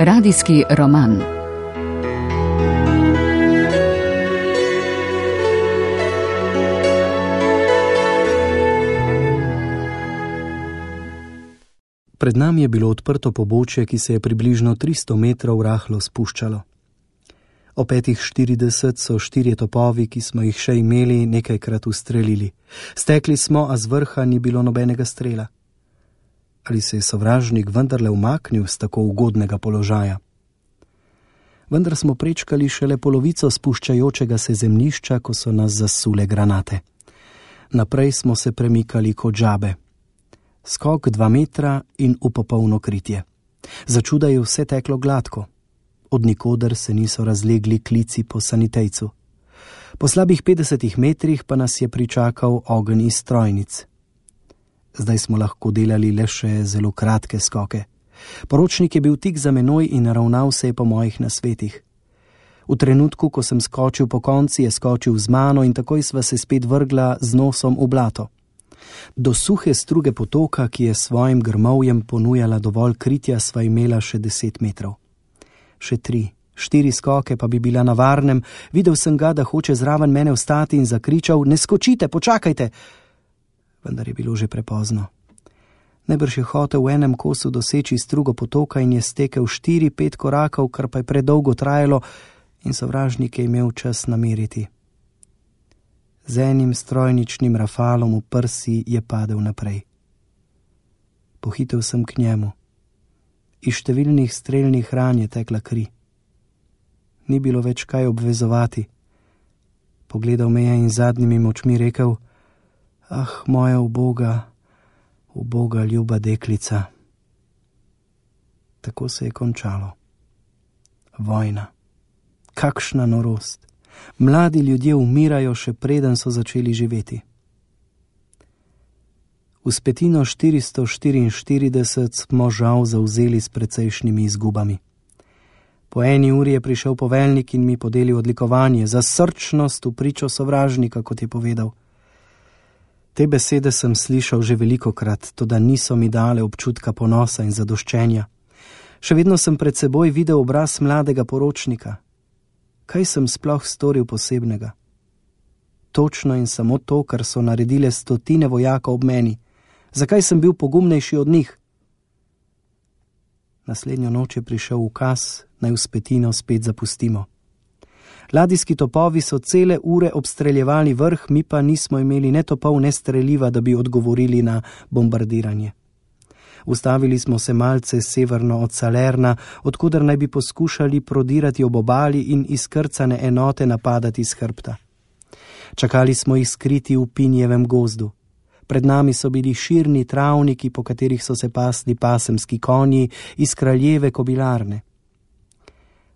Radijski roman. Pred nami je bilo odprto pobočje, ki se je približno 300 metrov rahlo spuščalo. O 5:40 so 4 topovi, ki smo jih še imeli, nekajkrat ustrelili. Stekli smo, a z vrha ni bilo nobenega strela. Ali se je sovražnik vendarle umaknil z tako ugodnega položaja? Vendar smo prečkali šele polovico spuščajočega se zemljišča, ko so nas zasule granate. Naprej smo se premikali kot žabe. Skok 2 metra in v popolno kritje. Začuda je vse teklo gladko. Od nikoder se niso razlegli klici po sanitejcu. Po slabih 50 metrih pa nas je pričakal ogenj iz strojnic. Zdaj smo lahko delali le še zelo kratke skoke. Poročnik je bil tik za menoj in ravnal se je po mojih nasvetih. V trenutku, ko sem skočil po konci, je skočil z mano in takoj sva se spet vrgla z nosom v blato. Do suhe struge potoka, ki je svojim grmovjem ponujala dovolj kritja, sva imela še 10 metrov. Še 3, 4 skoke pa bi bila na varnem. Videl sem ga, da hoče zraven mene vstati in zakričal: "Ne skočite, počakajte!" Vendar je bilo že prepozno. Najbrž je hotel v enem kosu doseči strugo potoka in je stekel 4-5 korakov, kar pa je predolgo trajalo in sovražnik je imel čas nameriti. Z enim strojničnim rafalom v prsi je padel naprej. Pohitel sem k njemu. Iz številnih strelnih ran je tekla kri. Ni bilo več kaj obvezovati. Pogledal me je in zadnjimi močmi rekel: "Ah, moja uboga ljuba deklica." Tako se je končalo. Vojna. Kakšna norost. Mladi ljudje umirajo, še preden so začeli živeti. Vzpetino 444 smo žal zavzeli s precejšnjimi izgubami. Po 1 uri je prišel poveljnik in mi podelil odlikovanje za srčnost v pričo sovražnika, kot je povedal. Te besede sem slišal že velikokrat, toda niso mi dale občutka ponosa in zadoščenja. Še vedno sem pred seboj videl obraz mladega poročnika. Kaj sem sploh storil posebnega? Točno in samo to, kar so naredile stotine vojakov ob meni. Zakaj sem bil pogumnejši od njih? Naslednjo noč je prišel ukaz, naj Vzpetino spet zapustimo. Ladijski topovi so cele ure obstreljevali vrh, mi pa nismo imeli ne topov, ne streliva, da bi odgovorili na bombardiranje. Ustavili smo se malce severno od Salerna, odkuder naj bi poskušali prodirati ob obali in izkrcane enote napadati s hrbta. Čakali smo jih skriti v pinjevem gozdu. Pred nami so bili širni travniki, po katerih so se pasli pasemski konji iz kraljeve kobilarne.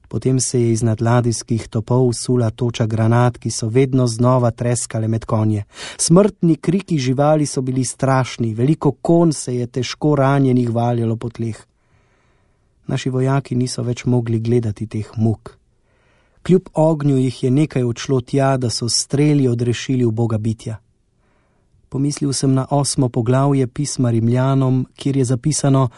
Potem se je iznad ladijskih topov sula toča granat, ki so vedno znova treskale med konje. Smrtni kriki živali so bili strašni, veliko konj se je težko ranjenih valjalo po tleh. Naši vojaki niso več mogli gledati teh muk. Kljub ognju jih je nekaj odšlo tja, da so streli odrešili uboga bitja. Pomislil sem na 8. poglavje pisma Rimljanom, kjer je zapisano: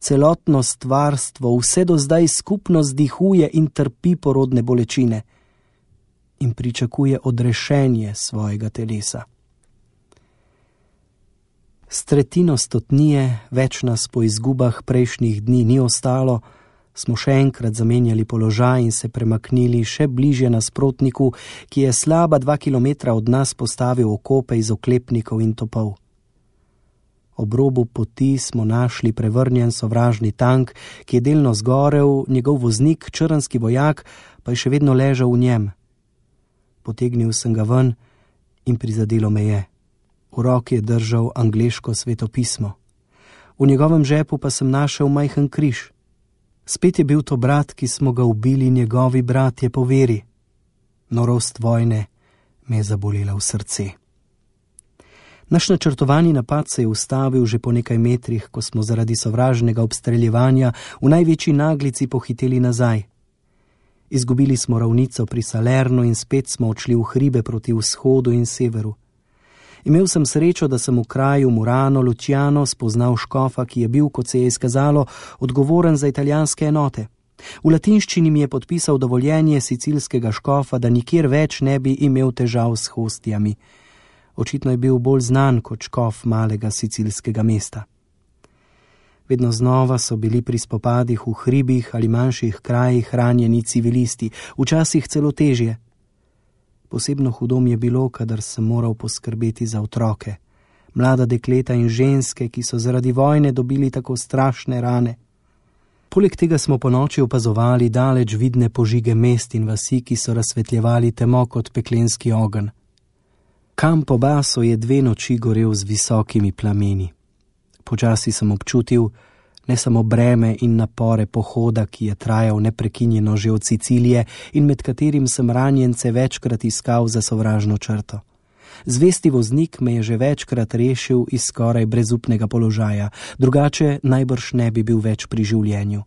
"Celotno stvarstvo vse do zdaj skupno zdihuje in trpi porodne bolečine in pričakuje odrešenje svojega telesa." S tretjino stotnije, več nas po izgubah prejšnjih dni ni ostalo, smo še enkrat zamenjali položaj in se premaknili še bližje nasprotniku, ki je slaba 2 kilometra od nas postavil okope iz oklepnikov in topov. Ob robu poti smo našli prevrnjen sovražni tank, ki je delno zgorel, njegov voznik, črnski vojak, pa je še vedno ležal v njem. Potegnil sem ga ven in prizadelo me je. V roki je držal angleško svetopismo. V njegovem žepu pa sem našel majhen križ. Spet je bil to brat, ki smo ga ubili njegovi bratje po veri. Norost vojne me je zabolela v srce. Naš načrtovani napad se je ustavil že po nekaj metrih, ko smo zaradi sovražnega obstreljevanja v največji naglici pohiteli nazaj. Izgubili smo ravnico pri Salernu in spet smo odšli v hribe proti vzhodu in severu. Imel sem srečo, da sem v kraju Murano Luciano spoznal škofa, ki je bil, kot se je izkazalo, odgovoren za italijanske enote. V latinščini mi je podpisal dovoljenje sicilskega škofa, da nikjer več ne bi imel težav s hostijami. Očitno je bil bolj znan kot škof malega sicilskega mesta. Vedno znova so bili pri spopadih v hribih ali manjših krajih ranjeni civilisti, včasih celo težje. Posebno hudo mi je bilo, kadar sem moral poskrbeti za otroke, mlada dekleta in ženske, ki so zaradi vojne dobili tako strašne rane. Poleg tega smo ponoči opazovali daleč vidne požige mest in vasi, ki so razsvetljevali temo kot peklenski ogenj. Kamp Obaso je 2 noči gorel z visokimi plameni. Počasi sem občutil ne samo breme in napore pohoda, ki je trajal neprekinjeno že od Sicilije in med katerim sem ranjence večkrat iskal za sovražno črto. Zvesti voznik me je že večkrat rešil iz skoraj brezupnega položaja, drugače najbrž ne bi bil več pri življenju.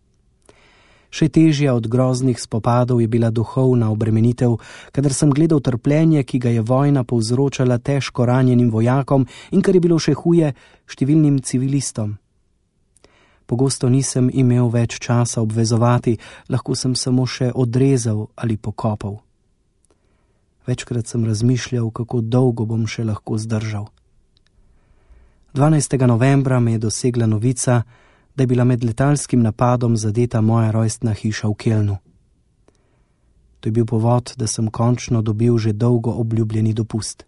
Še težja od groznih spopadov je bila duhovna obremenitev, kadar sem gledal trpljenje, ki ga je vojna povzročala težko ranjenim vojakom in, kar je bilo še huje, številnim civilistom. Pogosto nisem imel več časa obvezovati, lahko sem samo še odrezal ali pokopal. Večkrat sem razmišljal, kako dolgo bom še lahko zdržal. 12. novembra me je dosegla novica, da je bila med letalskim napadom zadeta moja rojstna hiša v Kelnu. To je bil povod, da sem končno dobil že dolgo obljubljeni dopust.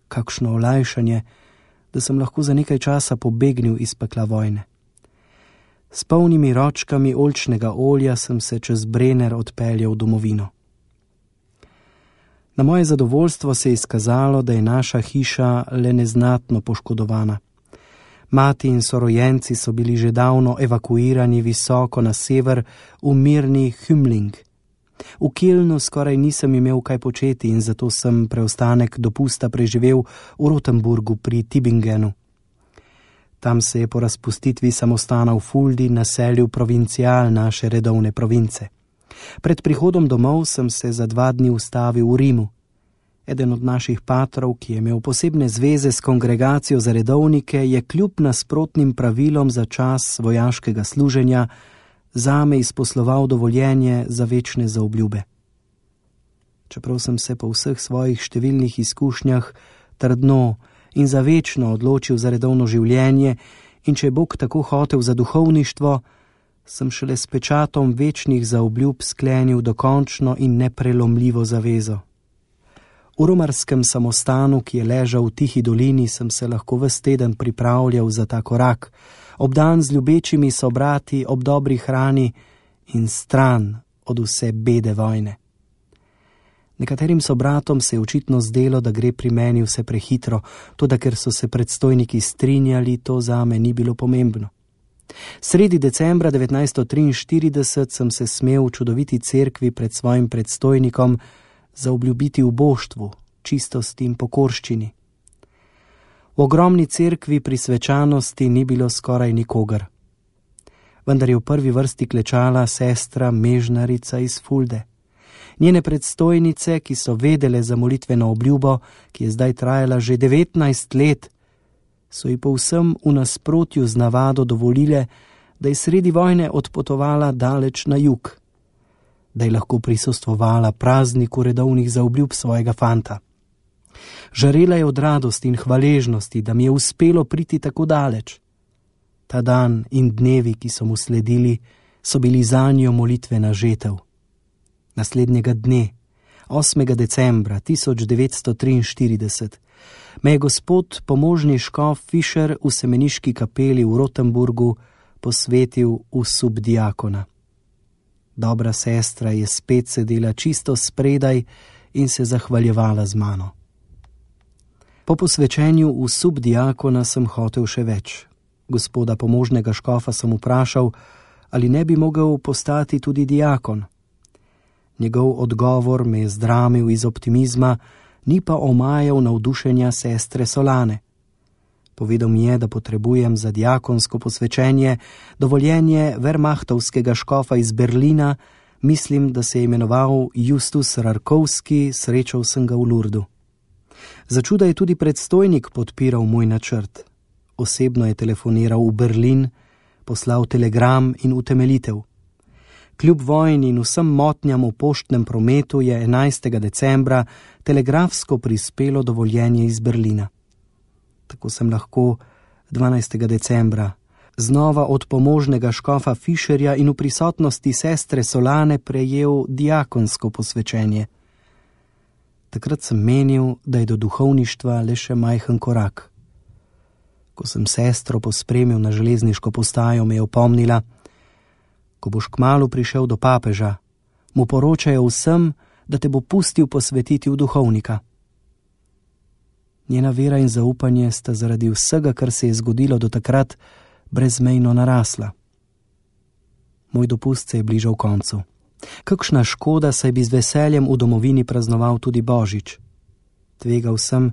Kakšno olajšanje, da sem lahko za nekaj časa pobegnil iz pekla vojne. S polnimi ročkami oljčnega olja sem se čez Brenner odpeljal v domovino. Na moje zadovoljstvo se je izkazalo, da je naša hiša le neznatno poškodovana. Mati in sorojenci so bili že davno evakuirani visoko na sever v mirni Hümling. V Kelnu skoraj nisem imel kaj početi in zato sem preostanek dopusta preživel v Rotenburgu pri Tübingenu. Tam se je po razpustitvi samostana v Fuldi naselil provincial naše redovne province. Pred prihodom domov sem se za 2 dni ustavil v Rimu. Eden od naših patrov, ki je imel posebne zveze s kongregacijo za redovnike, je kljub nasprotnim pravilom za čas vojaškega služenja zame izposloval dovoljenje za večne zaobljube. Čeprav sem se po vseh svojih številnih izkušnjah trdno in za večno odločil za redovno življenje in če je Bog tako hotel za duhovništvo, sem šele s pečatom večnih zaobljub sklenil dokončno in neprelomljivo zavezo. V romarskem samostanu, ki je ležal v tihi dolini, sem se lahko ves teden pripravljal za ta korak, obdan z ljubečimi sobrati, ob dobri hrani in stran od vse bede vojne. Nekaterim sobratom se je očitno zdelo, da gre pri meni vse prehitro, toda ker so se predstojniki strinjali, to zame ni bilo pomembno. Sredi decembra 1943 sem se smel v čudoviti cerkvi pred svojim predstojnikom zaobljubiti v boštvu, čistosti in pokorščini. V ogromni cerkvi pri svečanosti ni bilo skoraj nikogar. Vendar je v prvi vrsti klečala sestra Mežnarica iz Fulde. Njene predstojnice, ki so vedele za molitveno obljubo, ki je zdaj trajala že 19 let, so ji povsem v nasprotju z navado dovolile, da je sredi vojne odpotovala daleč na jug, da je lahko prisostvovala prazniku redovnih zaobljub svojega fanta. Žarela je od radosti in hvaležnosti, da mi je uspelo priti tako daleč. Ta dan in dnevi, ki so mu sledili, so bili zanjo molitvena žetev. Naslednjega dne, 8. decembra 1943, me je gospod pomožni škof Fischer v semeniški kapeli v Rotenburgu posvetil v subdiakona. Dobra sestra je spet sedela čisto spredaj in se zahvaljevala z mano. Po posvečenju v subdiakona sem hotel še več. Gospoda pomožnega škofa sem vprašal, ali ne bi mogel postati tudi diakon. Njegov odgovor me je zdramil iz optimizma, ni pa omajal navdušenja sestre Solane. Povedal mi je, da potrebujem za diakonsko posvečenje dovoljenje Wehrmachtovskega škofa iz Berlina, mislim, da se je imenoval Justus Rarkovski, srečal sem ga v Lurdu. Začuda je tudi predstojnik podpiral moj načrt. Osebno je telefoniral v Berlin, poslal telegram in utemeljitev. Kljub vojni in vsem motnjam v poštnem prometu je 11. decembra telegrafsko prispelo dovoljenje iz Berlina. Tako sem lahko 12. decembra znova od pomožnega škofa Fišerja in v prisotnosti sestre Solane prejel diakonsko posvečenje. Takrat sem menil, da je do duhovništva le še majhen korak. Ko sem sestro pospremil na železniško postajo, me je opomnila: ko boš kmalu prišel do papeža, mu poročajo vsem, da te bo pustil posvetiti v duhovnika. Njena vera in zaupanje sta zaradi vsega, kar se je zgodilo do takrat, brezmejno narasla. Moj dopust se je bližal koncu. Kakšna škoda, saj bi z veseljem v domovini praznoval tudi Božič. Tvegal sem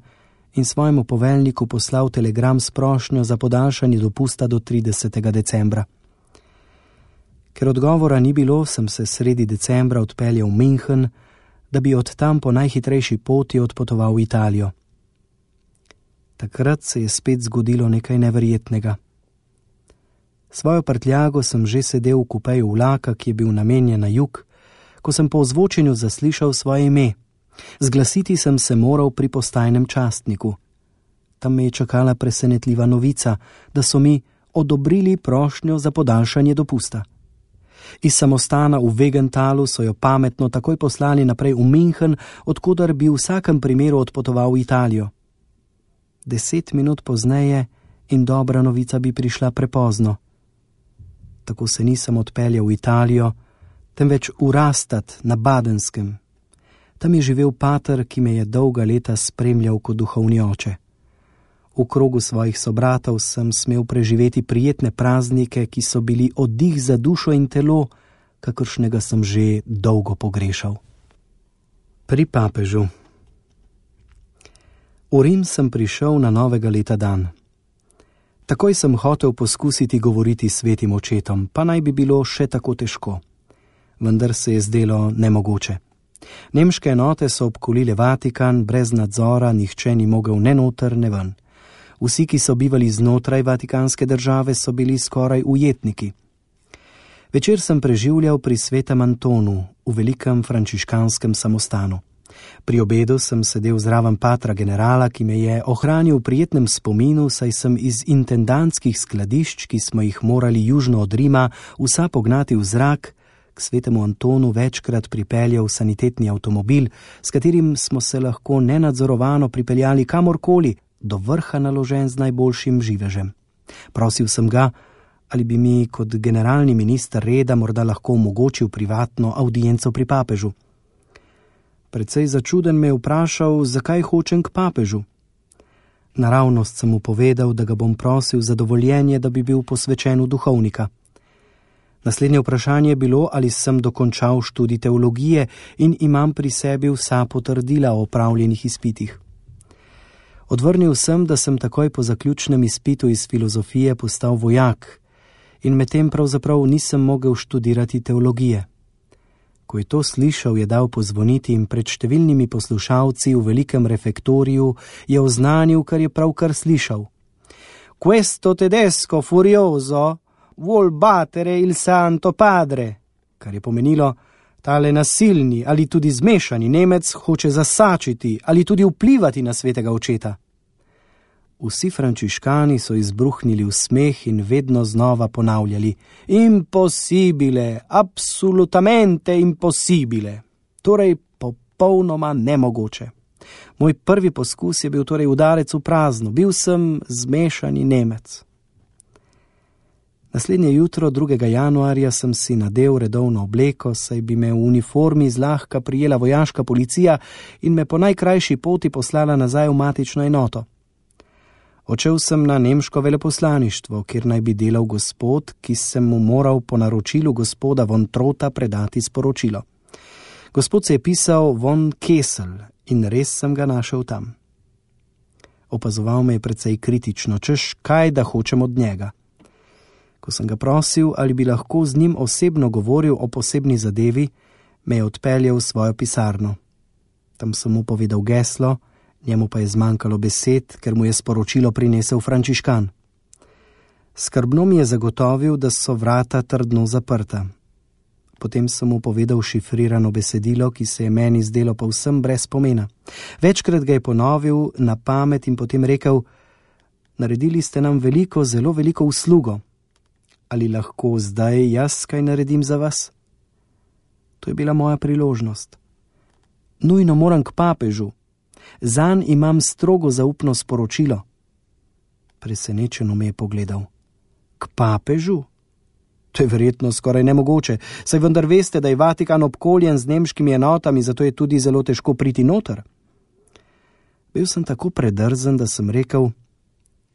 in svojemu poveljniku poslal telegram s prošnjo za podaljšanje dopusta do 30. decembra. Ker odgovora ni bilo, sem se sredi decembra odpeljal v München, da bi od tam po najhitrejši poti odpotoval v Italijo. Takrat se je spet zgodilo nekaj neverjetnega. Svojo prtljago sem že sedel v kupeju vlaka, ki je bil namenjen na jug, ko sem po ozvočenju zaslišal svoje ime. Zglasiti sem se moral pri postajnem častniku. Tam me je čakala presenetljiva novica, da so mi odobrili prošnjo za podaljšanje dopusta. Iz samostana v Wegentalu so jo pametno takoj poslali naprej v München, odkudar bi v vsakem primeru odpotoval v Italijo. 10 minut pozneje in dobra novica bi prišla prepozno. Tako se nisem odpeljal v Italijo, temveč v Rastatt na Badenskem. Tam je živel pater, ki me je dolga leta spremljal kot duhovni oče. V krogu svojih sobratov sem smel preživeti prijetne praznike, ki so bili oddih za dušo in telo, kakršnega sem že dolgo pogrešal. Pri papežu. V Rim sem prišel na novega leta dan. Takoj sem hotel poskusiti govoriti s svetim očetom, pa naj bi bilo še tako težko. Vendar se je zdelo nemogoče. Nemške enote so obkolile Vatikan, brez nadzora nihče ni mogel ne noter, ne ven. Vsi, ki so bivali znotraj vatikanske države, so bili skoraj ujetniki. Večer sem preživljal pri svetem Antonu, v velikem frančiškanskem samostanu. Pri obedu sem sedel zraven patra generala, ki me je ohranil v prijetnem spominu, saj sem iz intendantskih skladišč, ki smo jih morali južno od Rima, vsa pognati v zrak, k svetemu Antonu večkrat pripeljal sanitetni avtomobil, s katerim smo se lahko nenadzorovano pripeljali kamorkoli, do vrha naložen z najboljšim živežem. Prosil sem ga, ali bi mi kot generalni minister reda morda lahko omogočil privatno audienco pri papežu. Precej začuden me je vprašal, zakaj hočem k papežu. Naravnost sem mu povedal, da ga bom prosil za dovoljenje, da bi bil posvečen v duhovnika. Naslednje vprašanje je bilo, ali sem dokončal študij teologije in imam pri sebi vsa potrdila o opravljenih izpitih. Odvrnil sem, da sem takoj po zaključnem izpitu iz filozofije postal vojak in medtem pravzaprav nisem mogel študirati teologije. Ko je to slišal, je dal pozvoniti in pred številnimi poslušalci v velikem refektoriju je oznanil, kar je pravkar slišal. Questo tedesco furioso vuol battere il santo padre, kar je pomenilo, tale nasilni ali tudi zmešani Nemec hoče zasačiti ali tudi vplivati na svetega očeta. Vsi frančiškani so izbruhnili v smeh in vedno znova ponavljali: Impossibile, absolutamente impossibile, torej popolnoma nemogoče. Moj prvi poskus je bil torej udarec v prazno, bil sem zmešani Nemec. Naslednje jutro, 2. januarja, sem si nadel redovno obleko, saj bi me v uniformi zlahka prijela vojaška policija in me po najkrajši poti poslala nazaj v matično enoto. Odšel sem na nemško veleposlaništvo, kjer naj bi delal gospod, ki sem mu moral po naročilu gospoda von Trotha predati sporočilo. Gospod se je pisal von Kessel in res sem ga našel tam. Opazoval me je precej kritično, češ kaj da hočem od njega. Ko sem ga prosil, ali bi lahko z njim osebno govoril o posebni zadevi, me je odpeljal v svojo pisarno. Tam sem mu povedal geslo, njemu pa je zmanjkalo besed, ker mu je sporočilo prinesel frančiškan. Skrbno mi je zagotovil, da so vrata trdno zaprta. Potem sem mu povedal šifrirano besedilo, ki se je meni zdelo povsem brez pomena. Večkrat ga je ponovil na pamet in potem rekel: naredili ste nam veliko, zelo veliko uslugo. Ali lahko zdaj jaz kaj naredim za vas? To je bila moja priložnost. Nujno moram k papežu. Zanj imam strogo zaupno sporočilo. Presenečeno me je pogledal. K papežu? To je verjetno skoraj nemogoče, saj vendar veste, da je Vatikan obkoljen z nemškimi enotami, zato je tudi zelo težko priti noter. Bil sem tako predrzen, da sem rekel: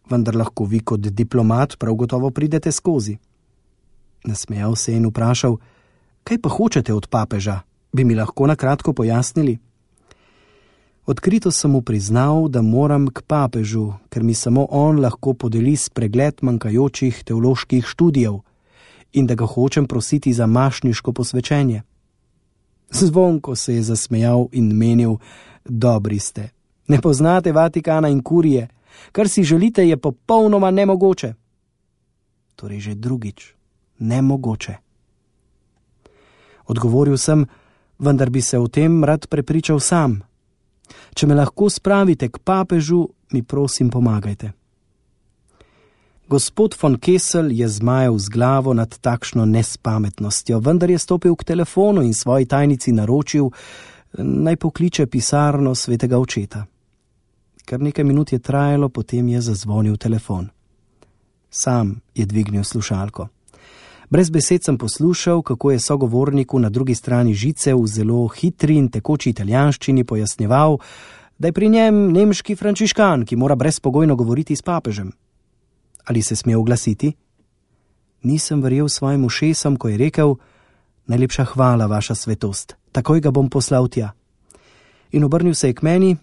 vendar lahko vi kot diplomat prav gotovo pridete skozi. Nasmejal se in vprašal: kaj pa hočete od papeža? Bi mi lahko na kratko pojasnili? Odkrito sem mu priznal, da moram k papežu, ker mi samo on lahko podeli spregled manjkajočih teoloških študijev in da ga hočem prositi za mašniško posvečenje. Zvonko se je zasmejal in menil: dobri ste, ne poznate Vatikana in kurije, kar si želite je popolnoma nemogoče. Torej že drugič, nemogoče. Odgovoril sem: vendar bi se o tem rad prepričal sam. Če me lahko spravite k papežu, mi prosim pomagajte. Gospod von Kessel je zmajal z glavo nad takšno nespametnostjo, vendar je stopil k telefonu in svoji tajnici naročil, naj pokliče pisarno svetega očeta. Kar nekaj minut je trajalo, potem je zazvonil telefon. Sam je dvignil slušalko. Brez besed sem poslušal, kako je sogovorniku na drugi strani žice v zelo hitri in tekoči italijanščini pojasnjeval, da je pri njem nemški frančiškan, ki mora brezpogojno govoriti s papežem. Ali se sme oglasiti? Nisem verjel svojim ušesom, ko je rekel: najlepša hvala, vaša svetost, takoj ga bom poslal tja. In obrnil se je k meni: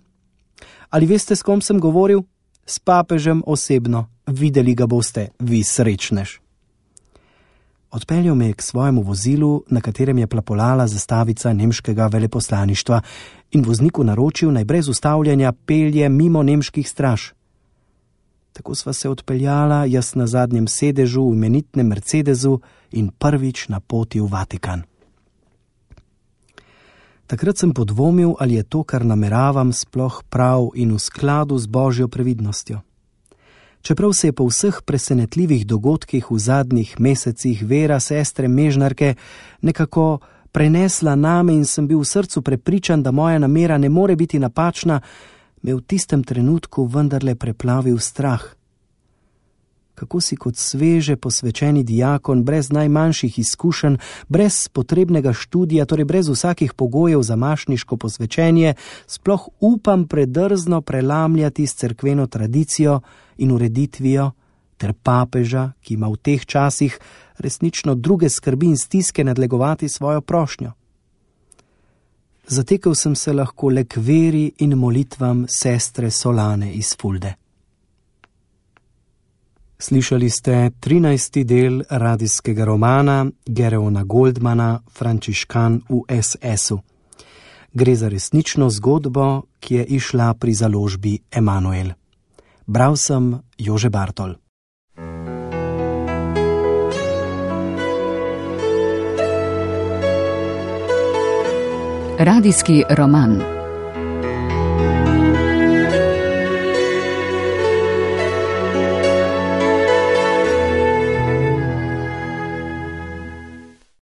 ali veste, s kom sem govoril? S papežem osebno, videli ga boste, vi srečnež. Odpeljal me je k svojemu vozilu, na katerem je plapolala zastavica nemškega veleposlaništva, in vozniku naročil, naj brez ustavljanja pelje mimo nemških straž. Tako sva se odpeljala, jaz na zadnjem sedežu v imenitnem Mercedesu in prvič na poti v Vatikan. Takrat sem podvomil, ali je to, kar nameravam, sploh prav in v skladu z Božjo previdnostjo. Čeprav se je po vseh presenetljivih dogodkih v zadnjih mesecih vera sestre Mežnarke nekako prenesla name in sem bil v srcu prepričan, da moja namera ne more biti napačna, me v tistem trenutku vendarle preplavil strah. Kako si kot sveže posvečeni diakon, brez najmanjših izkušenj, brez potrebnega študija, torej brez vsakih pogojev za mašniško posvečenje, sploh upam predrzno prelamljati s cerkveno tradicijo in ureditvijo ter papeža, ki ima v teh časih resnično druge skrbi in stiske nadlegovati svojo prošnjo. Zatekel sem se lahko le k veri in molitvam sestre Solane iz Fulde. Slišali ste 13. del radijskega romana Gereona Goldmana Frančiškan v SS-u. Gre za resnično zgodbo, ki je izšla pri založbi Emanuel. Bral sem Jože Bartol. Radijski roman.